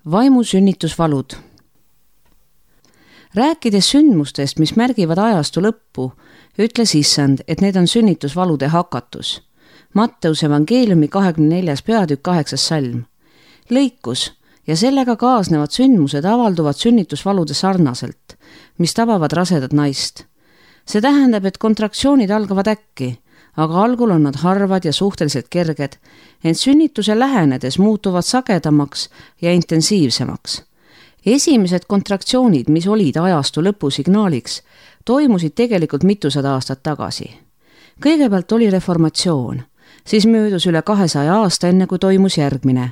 Vaimusünnitusvalud. Rääkides sündmustest, mis märgivad ajastu lõppu, ütles Issand, et need on sünnitusvalude hakatus. Matteuse evangeeliumi 24. peatükk 8. salm. Lõikus ja sellega kaasnevad sündmused avalduvad sünnitusvalude sarnaselt, mis tabavad rasedat naist. See tähendab, et kontraktsioonid algavad äkki, aga algul on nad harvad ja suhteliselt kerged, ent sünnituse lähenedes muutuvad sagedamaks ja intensiivsemaks. Esimesed kontraktsioonid, mis olid ajastu lõpusignaaliks, toimusid tegelikult mitusada aastat tagasi. Kõigepealt oli reformatsioon, siis möödus üle 200 aasta enne, kui toimus järgmine.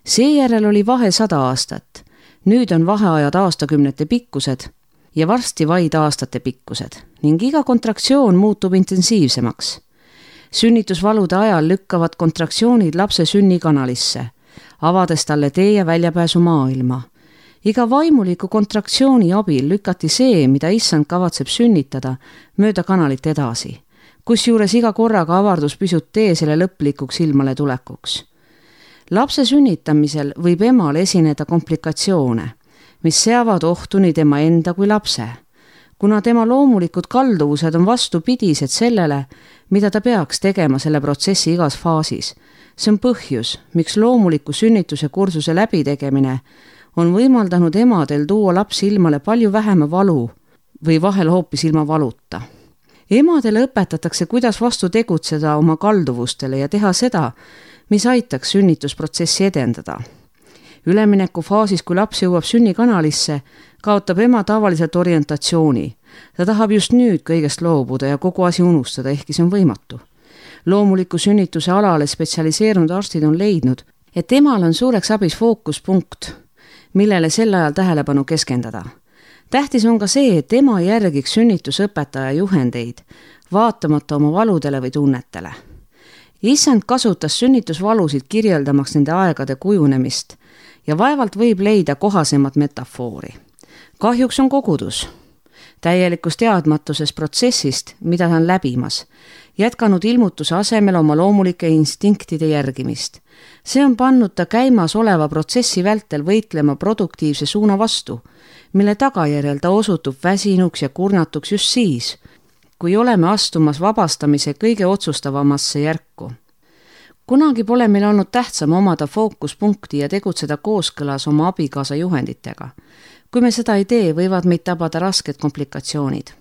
Seejärel oli vahe 100 aastat. Nüüd on vaheajad aastakümnete pikkused ja varsti vaid aastate pikkused ning iga kontraktsioon muutub intensiivsemaks. Sünnitusvalude ajal lükkavad kontraktsioonid lapse sünnikanalisse, avades talle tee ja väljapääsu maailma. Iga vaimuliku kontraktsiooni abil lükati see, mida Issand kavatseb sünnitada, mööda kanalit edasi, kusjuures iga korraga avardus pisut tee selle lõplikuks ilmale tulekuks. Lapse sünnitamisel võib emal esineda komplikatsioone, mis seavad ohtu nii tema enda kui lapse, kuna tema loomulikud kalduvused on vastupidised sellele, mida ta peaks tegema selle protsessi igas faasis. See on põhjus, miks loomuliku sünnituse kursuse läbitegemine on võimaldanud emadel tuua lapsi ilmale palju vähema valu või vahel hoopis ilma valuta. Emadele õpetatakse, kuidas vastu tegutseda oma kalduvustele ja teha seda, mis aitaks sünnitusprotsessi edendada. Ülemineku faasis, kui laps jõuab sünnikanalisse, kaotab ema tavaliselt orientatsiooni. Ta tahab just nüüd kõigest loobuda ja kogu asi unustada, ehkki see on võimatu. Loomuliku sünnituse alale spetsialiseerunud arstid on leidnud, et emal on suureks abis fookuspunkt, millele sel ajal tähelepanu keskendada. Tähtis on ka see, et ema järgiks sünnitusõpetaja juhendeid, vaatamata oma valudele või tunnetele. Issand kasutas sünnitusvalusid kirjeldamaks nende aegade kujunemist ja vaevalt võib leida kohasemat metafoori. Kahjuks on kogudus, täielikus teadmatuses protsessist, mida ta on läbimas, jätkanud ilmutuse asemel oma loomulike instinktide järgimist. See on pannud ta käimas oleva protsessi vältel võitlema produktiivse suuna vastu, mille tagajärjel ta osutub väsinuks ja kurnatuks just siis, kui oleme astumas vabastamise kõige otsustavamasse järku. Kunagi pole meil olnud tähtsam omada fookuspunkti ja tegutseda kooskõlas oma abikaasa juhenditega. Kui me seda ei tee, võivad meid tabada rasked komplikatsioonid.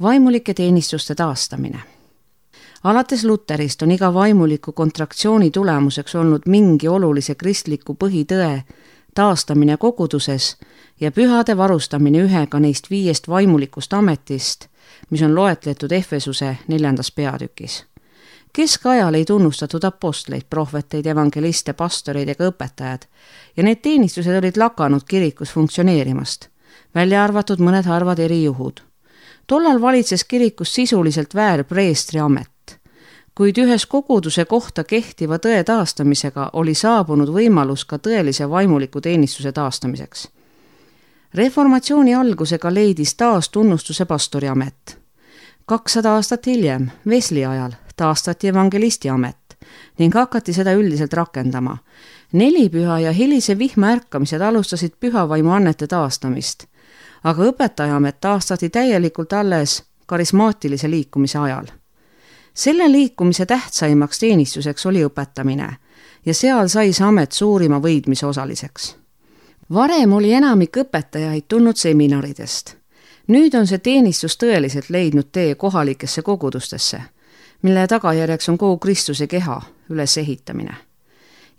Vaimulike teenistuste taastamine. Alates Luterist on iga vaimuliku kontraktsiooni tulemuseks olnud mingi olulise kristliku põhitõe taastamine koguduses ja pühade varustamine ühega neist 5 vaimulikust ametist, mis on loetletud Efesuse 4. peatükis. Keskajal ei tunnustatud apostleid, prohveteid, evangeliste, pastoreid ega õpetajad ja need teenistused olid lakanud kirikus funktsioneerimast, välja arvatud mõned harvad erijuhud. Tollal valitses kirikus sisuliselt väärpreestri amet, kuid ühes koguduse kohta kehtiva tõe taastamisega oli saabunud võimalus ka tõelise vaimuliku teenistuse taastamiseks. Reformatsiooni algusega leidis taas tunnustuse pastori amet. 200 aastat hiljem, Wesley ajal, taastati evangelisti amet ning hakati seda üldiselt rakendama. 4 püha ja hilise vihma ärkamised alustasid pühavaimu annete taastamist, aga õpetaja amet taastati täielikult alles karismaatilise liikumise ajal. Selle liikumise tähtsaimaks teenistuseks oli õpetamine ja seal sai see amet suurima võidmise osaliseks. Varem oli enamik õpetajaid tulnud seminaridest. Nüüd on see teenistus tõeliselt leidnud tee kohalikesse kogudustesse, mille tagajärjeks on kogu Kristuse keha ülesehitamine.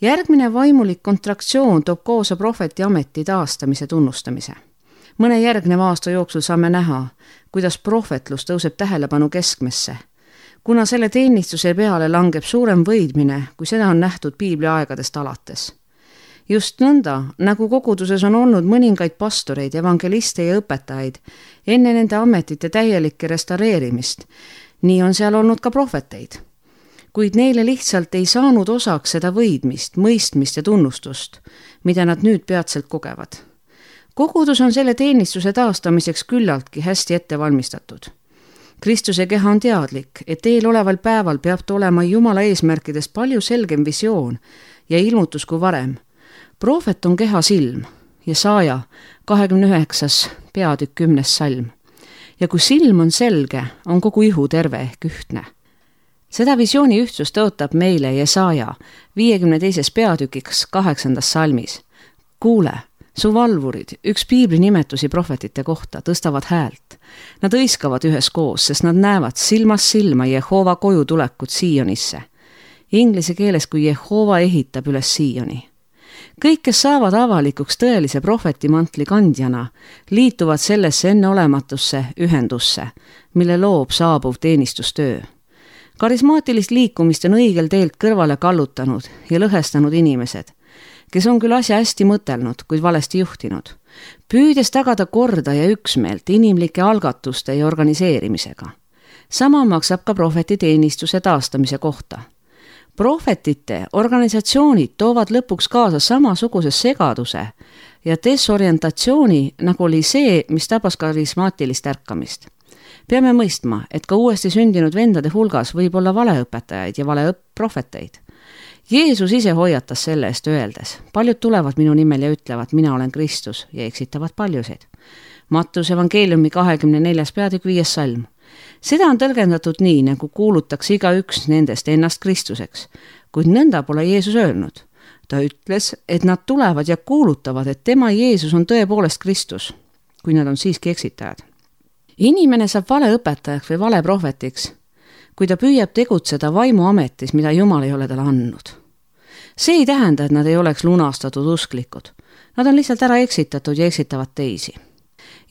Järgmine vaimulik kontraktsioon toob koosa prohveti ameti taastamise tunnustamise. Mõne järgneva aasta jooksul saame näha, kuidas prohvetlus tõuseb tähelepanu keskmesse, kuna selle teenistuse peale langeb suurem võidmine, kui seda on nähtud Piiblia aegadest alates. Just nõnda, nagu koguduses on olnud mõningaid pastoreid, evangeliste ja õpetajaid enne nende ametite täielikke restaureerimist, nii on seal olnud ka prohveteid. Kuid neile lihtsalt ei saanud osaks seda võidmist, mõistmist ja tunnustust, mida nad nüüd peatselt kogevad. Kogudus on selle teenistuse taastamiseks küllaltki hästi ette valmistatud. Kristuse keha on teadlik, et eeloleval päeval peab olema Jumala eesmärkidest palju selgem visioon ja ilmutus kui varem. Prohvet on keha silm, Jesaja 29. peatükk 10. salm. Ja kui silm on selge, on kogu ihu terve ehk ühtne. Seda visiooni ühtsust tõotab meile Jesaja 52. peatükiks 8. salmis. Kuule, su valvurid, üks piibli nimetusi prohvetite kohta, tõstavad häält. Nad hõiskavad üheskoos, sest nad näevad silmast silma Jehova koju tulekut Siionisse. Inglise keeles kui Jehova ehitab üles Sioni. Kõik, kes saavad avalikuks tõelise prohvetimantli kandjana, liituvad sellesse enneolematusse ühendusse, mille loob saabuv teenistustöö. Karismaatilist liikumist on õigel teelt kõrvale kallutanud ja lõhestanud inimesed, kes on küll asja hästi mõtelnud, kuid valesti juhtinud, püüdes tagada korda ja üksmeelt inimlike algatuste ja organiseerimisega. Sama maksab ka prohvetiteenistuse taastamise kohta. Prohvetite organisatsioonid toovad lõpuks kaasa samasuguse segaduse ja desorientatsiooni, nagu oli see, mis tabas karismaatilist ärkamist. Peame mõistma, et ka uuesti sündinud vendade hulgas võib olla valeõpetajaid ja valeprohveteid. Jeesus ise hoiatas selle eest öeldes, paljud tulevad minu nimel ja ütlevad, mina olen Kristus ja eksitavad paljusid. Mattuse evangeeliumi 24. peatükk 5. salm. Seda on tõlgendatud nii, nagu kuulutaks igaüks nendest ennast Kristuseks, kuid nõnda pole Jeesus öelnud. Ta ütles, et nad tulevad ja kuulutavad, et tema Jeesus on tõepoolest Kristus, kui nad on siiski eksitajad. Inimene saab valeõpetajaks või valeprohvetiks, kui ta püüab tegutseda vaimuametis, mida Jumal ei ole talle andnud. See ei tähenda, et nad ei oleks lunastatud usklikud. Nad on lihtsalt ära eksitatud ja eksitavad teisi.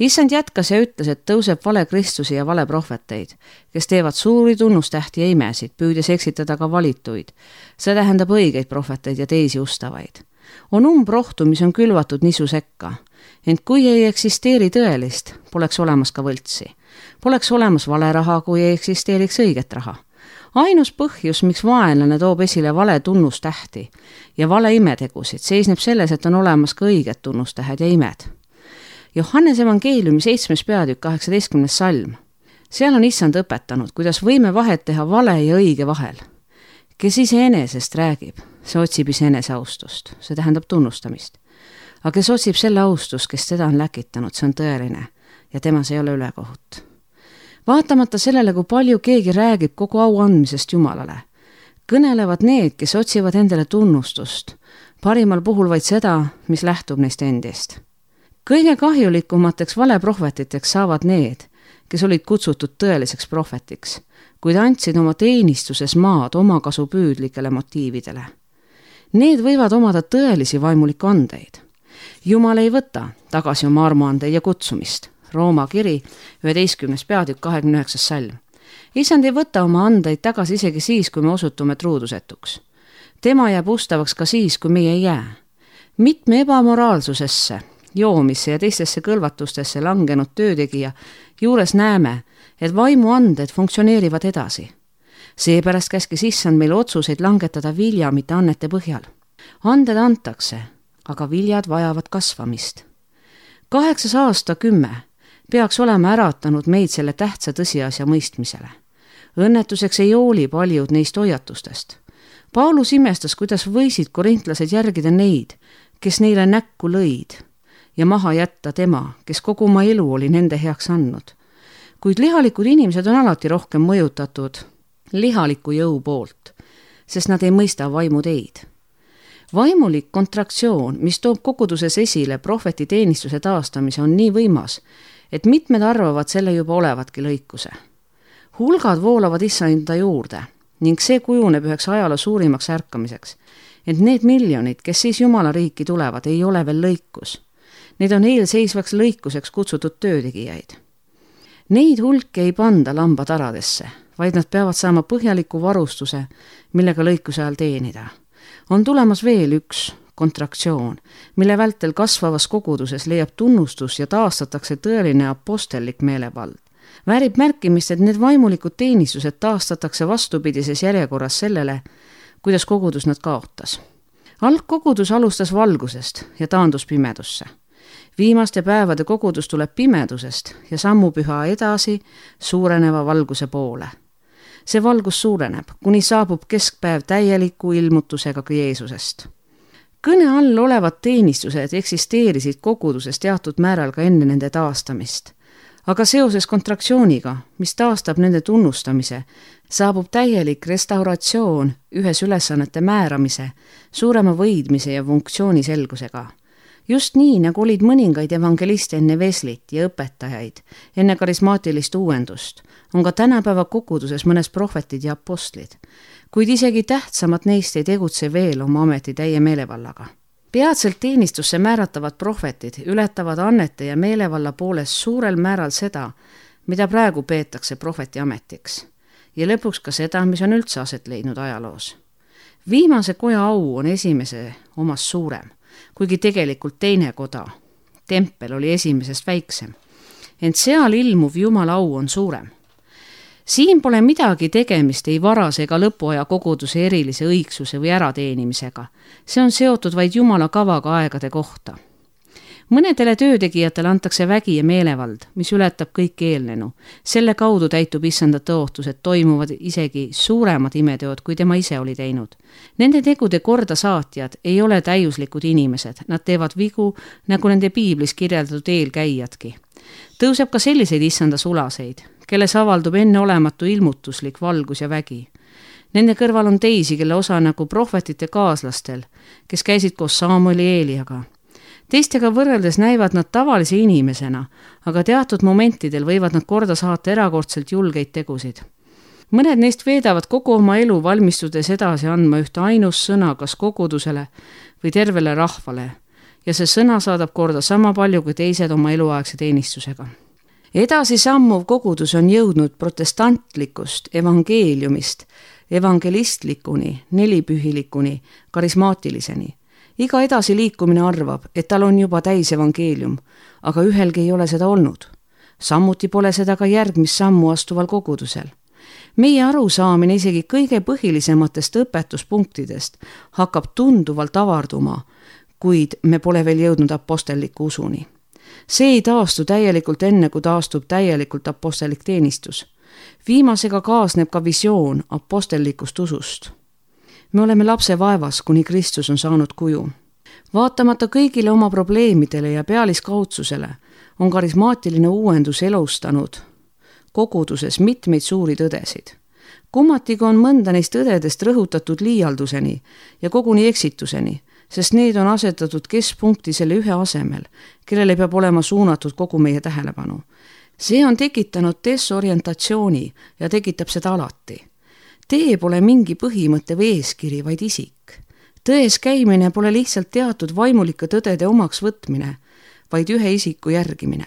Issand jätkas ja ütles, et tõuseb vale Kristusi ja vale prohveteid, kes teevad suuri tunnustähti ja imesid, püüdes eksitada ka valituid. See tähendab õigeid prohveteid ja teisi ustavaid. On umbrohtu, mis on külvatud nisu sekka. Ent kui ei eksisteeri tõelist, poleks olemas ka võltsi. Poleks olemas vale raha, kui ei eksisteeriks õiget raha. Ainus põhjus, miks vaenlane toob esile vale tunnustähti ja vale imetegusid, seisneb selles, et on olemas ka õiged tunnustähed ja imed. Johannes evangeeliumi 7. peatükk 18. salm. Seal on issand õpetanud, kuidas võime vahet teha vale ja õige vahel. Kes iseenesest räägib, see otsib iseenese austust, see tähendab tunnustamist. Aga kes otsib selle austust, kes teda on läkitanud, see on tõeline ja temas ei ole ülekohut. Vaatamata sellele, kui palju keegi räägib kogu au andmisest Jumalale, kõnelevad need, kes otsivad endale tunnustust, parimal puhul vaid seda, mis lähtub neist endist. Kõige kahjulikumateks valeprohvetiteks saavad need, kes olid kutsutud tõeliseks prohvetiks, kuid andsid oma teenistuses maad omakasu püüdlikele motiividele. Need võivad omada tõelisi vaimuliku andeid. Jumal ei võta tagasi oma armuandeid ja kutsumist. Rooma kiri 11. peatükk 29. salm. Issand ei võta oma andeid tagasi isegi siis, kui me osutume truudusetuks. Tema jääb ustavaks ka siis, kui meie ei jää. Mitme ebamoraalsusesse, joomisse ja teistesse kõlvatustesse langenud töötegija juures näeme, et vaimuanded funktsioneerivad edasi. Seepärast käskis issand meil otsuseid langetada vilja, mitte annete põhjal. Anded antakse, aga viljad vajavad kasvamist. 8 aastakümme peaks olema äratanud meid selle tähtsa tõsiasja mõistmisele. Õnnetuseks ei hooli paljud neist hoiatustest. Paulus imestas, kuidas võisid korintlased järgida neid, kes neile näkku lõid, ja maha jätta tema, kes kogu oma elu oli nende heaks andnud. Kuid lihalikud inimesed on alati rohkem mõjutatud lihaliku jõu poolt, sest nad ei mõista vaimuteid. Vaimulik kontraktsioon, mis toob koguduses esile prohveti teenistuse taastamise, on nii võimas, et mitmed arvavad selle juba olevatki lõikuse. Hulgad voolavad issanda juurde ning see kujuneb üheks ajaloo suurimaks ärkamiseks, et need miljonid, kes siis Jumala riiki tulevad, ei ole veel lõikus. Need on eelseisvaks lõikuseks kutsutud töötegijaid. Neid hulki ei panda lambataradesse, vaid nad peavad saama põhjaliku varustuse, millega lõikuse ajal teenida. On tulemas veel üks kontraktsioon, mille vältel kasvavas koguduses leiab tunnustus ja taastatakse tõeline apostellik meelevald. Väärib märkimist, et need vaimulikud teenistused taastatakse vastupidises järjekorras sellele, kuidas kogudus nad kaotas. Algkogudus alustas valgusest ja taandus pimedusse. Viimaste päevade kogudus tuleb pimedusest ja sammub üha edasi suureneva valguse poole. See valgus suureneb, kuni saabub keskpäev täieliku ilmutusega ka Jeesusest. kõne all olevad teenistused eksisteerisid koguduses teatud määral ka enne nende taastamist. Aga seoses kontraktsiooniga, mis taastab nende tunnustamise, saabub täielik restauratsioon ühes ülesannete määramise, suurema võidmise ja funktsiooni selgusega. Just nii, nagu olid mõningaid evangeliste enne Veslit ja õpetajaid, enne karismaatilist uuendust, on ka tänapäeva koguduses mõnes prohvetid ja apostlid, kuid isegi tähtsamad neist ei tegutse veel oma ameti täie meelevallaga. Peatselt teenistusse määratavad prohvetid ületavad annete ja meelevalla poolest suurel määral seda, mida praegu peetakse prohveti ametiks, ja lõpuks ka seda, mis on üldse aset leidnud ajaloos. Viimase koja au on esimese omas suurem, kuigi tegelikult teine koda, tempel, oli esimesest väiksem, ent seal ilmuv Jumala au on suurem. Siin pole midagi tegemist ei varase ega lõpuaja koguduse erilise õigsuse või ärateenimisega. See on seotud vaid Jumala kavaga aegade kohta. Mõnedele töötegijatele antakse vägi ja meelevald, mis ületab kõik eelnenu. Selle kaudu täitub issanda tõotus, et toimuvad isegi suuremad imeteod, kui tema ise oli teinud. Nende tegude korda saatjad ei ole täiuslikud inimesed, nad teevad vigu, nagu nende piiblis kirjeldatud eelkäijadki. Tõuseb ka selliseid issanda sulaseid, kelles avaldub enneolematu ilmutuslik valgus ja vägi. Nende kõrval on teisi, kelle osa nagu prohvetite kaaslastel, kes käisid koos Samueli Eeliaga. Teistega võrreldes näivad nad tavalise inimesena, aga teatud momentidel võivad nad korda saata erakordselt julgeid tegusid. Mõned neist veedavad kogu oma elu valmistudes edasi andma ühte ainus sõna kas kogudusele või tervele rahvale, ja see sõna saadab korda sama palju kui teised oma eluaegse teenistusega. Edasi sammuv kogudus on jõudnud protestantlikust evangeeliumist evangelistlikuni, nelipühilikuni, karismaatiliseni. Iga edasiliikumine arvab, et tal on juba täis evangeelium, aga ühelgi ei ole seda olnud. Sammuti pole seda ka järgmist sammu astuval kogudusel. Meie arusaamine isegi kõige põhilisematest õpetuspunktidest hakkab tunduvalt avarduma, kuid me pole veel jõudnud apostelliku usuni. See ei taastu täielikult enne, kui taastub täielikult apostellik teenistus. Viimasega kaasneb ka visioon apostellikust usust. Me oleme lapse vaevas, kuni Kristus on saanud kuju. Vaatamata kõigile oma probleemidele ja pealiskaudsusele on karismaatiline uuendus elustanud koguduses mitmeid suuri tõdesid. Kummatiga on mõnda neist tõdedest rõhutatud liialduseni ja koguni eksituseni, sest need on asetatud keskpunkti selle ühe asemel, kellele peab olema suunatud kogu meie tähelepanu. See on tekitanud desorientatsiooni ja tekitab seda alati. Tee pole mingi põhimõte või eeskiri, vaid isik. Tões käimine pole lihtsalt teatud vaimulike tõdede omaks võtmine, vaid ühe isiku järgimine.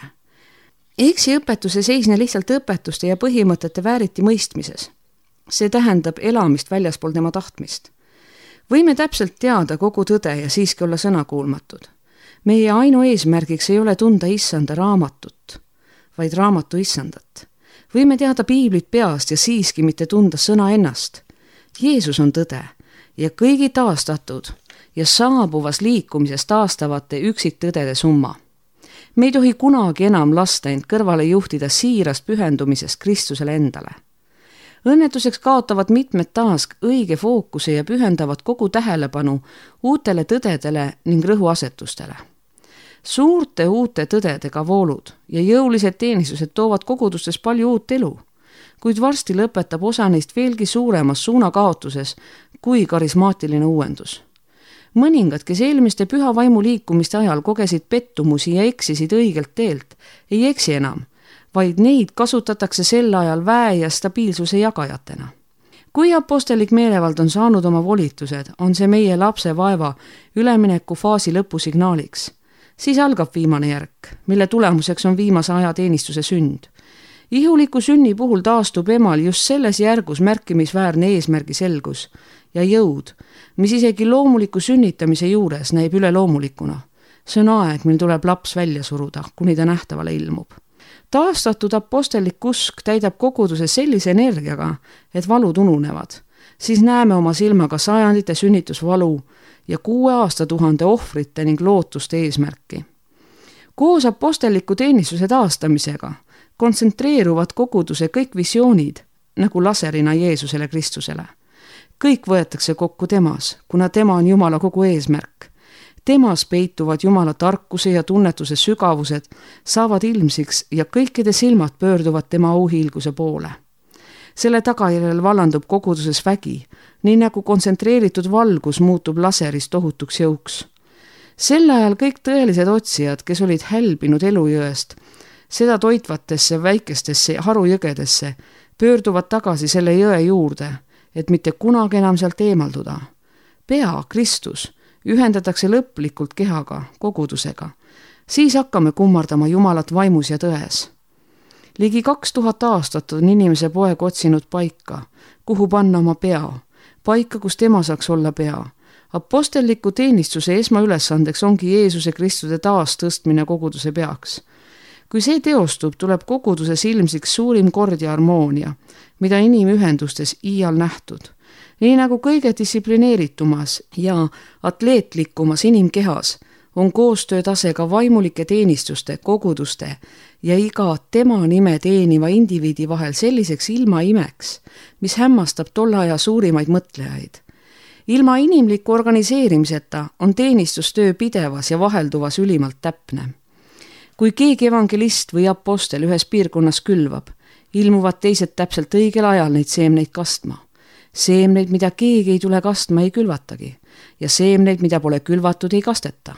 Eksiõpetus ei seisne lihtsalt õpetuste ja põhimõtete vääriti mõistmises. See tähendab elamist väljaspool tema tahtmist. Võime täpselt teada kogu tõde ja siiski olla sõnakuulmatud. Meie ainu eesmärgiks ei ole tunda issanda raamatut, vaid raamatu issandat. Võime teada piiblit peast ja siiski mitte tunda sõna ennast. Jeesus on tõde ja kõigi taastatud ja saabuvas liikumises taastavate üksiktõdede summa. Me ei tohi kunagi enam lasta end kõrvale juhtida siirast pühendumisest Kristusele endale. Õnnetuseks kaotavad mitmed taas õige fookuse ja pühendavad kogu tähelepanu uutele tõdedele ning rõhuasetustele. Suurte uute tõdedega voolud ja jõulised teenistused toovad kogudustes palju uut elu, kuid varsti lõpetab osa neist veelgi suuremas suunakaotuses kui karismaatiline uuendus. Mõningad, kes eelmiste püha vaimu liikumiste ajal kogesid pettumusi ja eksisid õigelt teelt, ei eksi enam, vaid neid kasutatakse sel ajal väe ja stabiilsuse jagajatena. Kui apostellik meelevald on saanud oma volitused, on see meie lapse vaeva ülemineku faasi lõpusignaaliks. Siis algab viimane järk, mille tulemuseks on viimase aja teenistuse sünd. Ihuliku sünni puhul taastub emal just selles järgus märkimisväärne eesmärgi selgus ja jõud, mis isegi loomuliku sünnitamise juures näib üleloomulikuna. See on aeg, mil tuleb laps välja suruda, kuni ta nähtavale ilmub. Taastatud apostellik usk täidab koguduse sellise energiaga, et valud ununevad. Siis näeme oma silmaga sajandite sünnitusvalu ja 6 aastatuhande ohvrite ning lootuste eesmärki. Koos apostelliku teenistuse taastamisega kontsentreeruvad koguduse kõik visioonid nagu laserina Jeesusele Kristusele. Kõik võetakse kokku temas, kuna tema on Jumala kogu eesmärk. Temas peituvad Jumala tarkuse ja tunnetuse sügavused saavad ilmsiks ja kõikide silmad pöörduvad tema auhiilguse poole. Selle tagajärjel vallandub koguduses vägi, nii nagu kontsentreeritud valgus muutub laserist tohutuks jõuks. Sel ajal kõik tõelised otsijad, kes olid hälbinud elujõest, seda toitvatesse väikestesse harujõgedesse, pöörduvad tagasi selle jõe juurde, et mitte kunagi enam sealt eemalduda. Pea, Kristus, ühendatakse lõplikult kehaga, kogudusega. Siis hakkame kummardama Jumalat vaimus ja tões. Ligi 2000 aastat on inimese poeg otsinud paika, kuhu panna oma pea, paika, kus tema saaks olla pea. Apostelliku teenistuse esmaülesandeks ongi Jeesuse Kristuse taastõstmine koguduse peaks. Kui see teostub, tuleb koguduses ilmsiks suurim kord ja harmoonia, mida inimühendustes iial nähtud. Nii nagu kõige distsiplineeritumas ja atleetlikumas inimkehas on koostöötase ka vaimulike teenistuste, koguduste ja iga tema nime teeniva indiviidi vahel selliseks ilmaimeks, mis hämmastab tolle aja suurimaid mõtlejaid. Ilma inimliku organiseerimiseta on teenistustöö pidevas ja vahelduvas ülimalt täpne. Kui keegi evangelist või apostel ühes piirkonnas külvab, ilmuvad teised täpselt õigel ajal neid seemneid kastma. Seemneid, mida keegi ei tule kastma, ei külvatagi ja seemneid, mida pole külvatud, ei kasteta.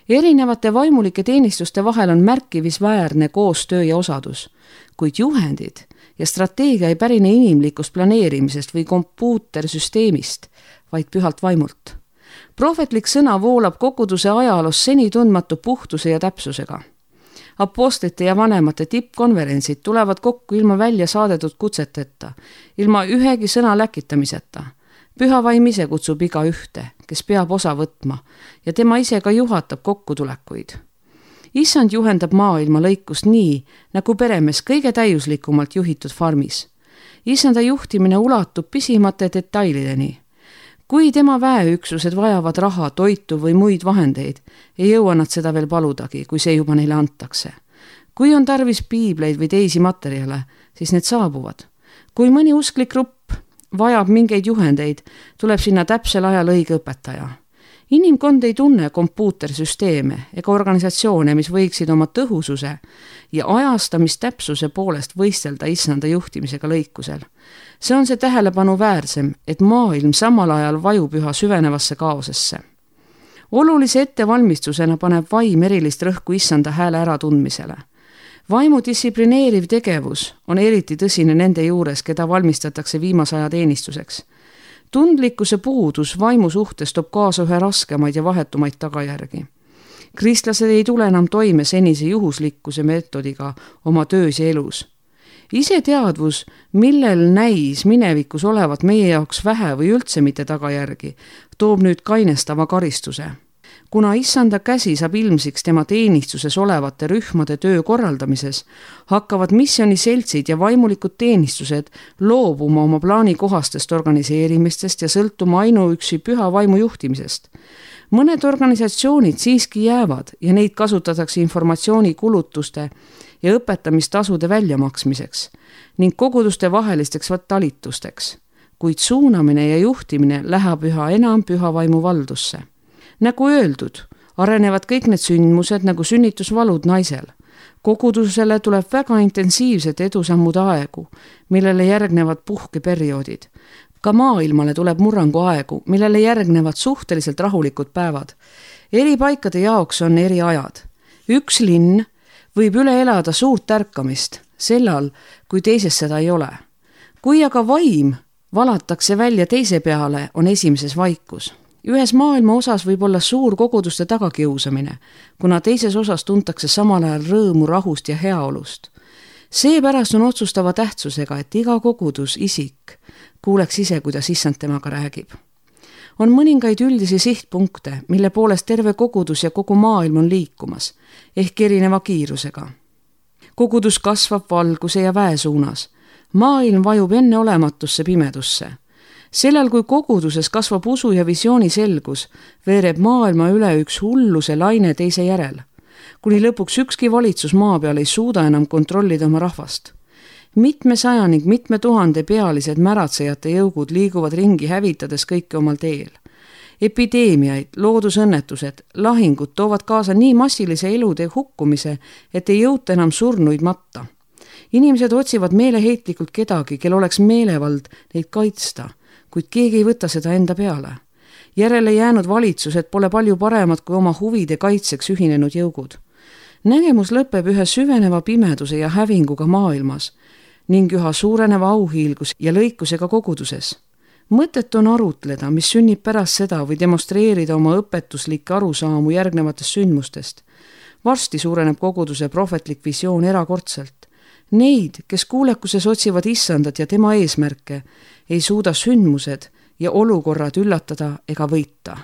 Erinevate vaimulike teenistuste vahel on märkimisväärne koostöö ja osadus, kuid juhendid ja strateegia ei pärine inimlikust planeerimisest või kompuutersüsteemist, vaid pühalt vaimult. Prohvetlik sõna voolab koguduse ajaloos seni tundmatu puhtuse ja täpsusega. Apostlite ja vanemate tippkonverentsid tulevad kokku ilma välja saadetud kutseteta, ilma ühegi sõna läkitamiseta. Püha vaim ise kutsub iga ühte, kes peab osa võtma ja tema ise ka juhatab kokkutulekuid. Issand juhendab maailma lõikust nii, nagu peremees kõige täiuslikumalt juhitud farmis. Issanda juhtimine ulatub pisimate detailideni. Kui tema väeüksused vajavad raha, toitu või muid vahendeid, ei jõua nad seda veel paludagi, kui see juba neile antakse. Kui on tarvis piibleid või teisi materjale, siis need saabuvad. Kui mõni usklik grupp vajab mingeid juhendeid, tuleb sinna täpsel ajal õige õpetaja. Inimkond ei tunne kompuutersüsteeme ega organisatsioone, mis võiksid oma tõhususe ja ajastamistäpsuse poolest võistelda issanda juhtimisega lõikusel. See on see tähelepanu väärsem, et maailm samal ajal vajub üha süvenevasse kaosesse. Olulise ettevalmistusena paneb vaim erilist rõhku issanda hääle äratundmisele. Vaimu distsiplineeriv tegevus on eriti tõsine nende juures, keda valmistatakse viimase aja teenistuseks. Tundlikkuse puudus vaimu suhtes toob kaasa ühe raskemaid ja vahetumaid tagajärgi. Kristlased ei tule enam toime senise juhuslikkuse meetodiga oma töös ja elus. Iseteadvus, millel näis minevikus olevat meie jaoks vähe või üldse mitte tagajärgi, toob nüüd kainestava karistuse. Kuna issanda käsi saab ilmsiks tema teenistuses olevate rühmade töö korraldamises, hakkavad missiooniseltsid ja vaimulikud teenistused loobuma oma plaanikohastest organiseerimistest ja sõltuma ainuüksi püha vaimu juhtimisest. Mõned organisatsioonid siiski jäävad ja neid kasutatakse informatsiooni kulutuste ja õpetamistasude väljamaksmiseks ning koguduste vahelisteks talitusteks, kuid suunamine ja juhtimine läheb üha enam püha vaimu valdusse. Nagu öeldud, arenevad kõik need sündmused nagu sünnitusvalud naisel. Kogudusele tuleb väga intensiivsed edusammude aegu, millele järgnevad puhkeperioodid. Ka maailmale tuleb murrangu aegu, millele järgnevad suhteliselt rahulikud päevad. Eri paikade jaoks on eri ajad. Üks linn võib üle elada suurt ärkamist, sellal, kui teises seda ei ole. Kui aga vaim valatakse välja teise peale, on esimeses vaikus. Ühes maailma osas võib olla suur koguduste tagakiusamine, kuna teises osas tuntakse samal ajal rõõmu, rahust ja heaolust. Seepärast on otsustava tähtsusega, et iga kogudus, isik, kuuleks ise, kuidas issand temaga räägib. On mõningaid üldisi sihtpunkte, mille poolest terve kogudus ja kogu maailm on liikumas, ehk erineva kiirusega. Kogudus kasvab valguse ja väe suunas. Maailm vajub enneolematusse pimedusse. Sellel, kui koguduses kasvab usu ja visiooni selgus, veereb maailma üle üks hulluse laine teise järel, kuni lõpuks ükski valitsus maa peal ei suuda enam kontrollida oma rahvast. Mitme saja ning mitme tuhande pealised märatsejate jõugud liiguvad ringi hävitades kõike omal teel. Epideemiaid, loodusõnnetused, lahingud toovad kaasa nii massilise elude hukkumise, et ei jõuta enam surnuid matta. Inimesed otsivad meeleheitlikult kedagi, kel oleks meelevald neid kaitsta, kuid keegi ei võta seda enda peale. Järele jäänud valitsused pole palju paremad kui oma huvide kaitseks ühinenud jõugud. Nägemus lõpeb ühe süveneva pimeduse ja hävinguga maailmas ning üha suureneva auhiilgus ja lõikusega koguduses. Mõtet on arutleda, mis sünnib pärast seda või demonstreerida oma õpetuslikke arusaamu järgnevatest sündmustest. Varsti suureneb koguduse prohvetlik visioon erakordselt. Neid, kes kuulekuses otsivad issandat ja tema eesmärke, ei suuda sündmused ja olukorrad üllatada ega võita.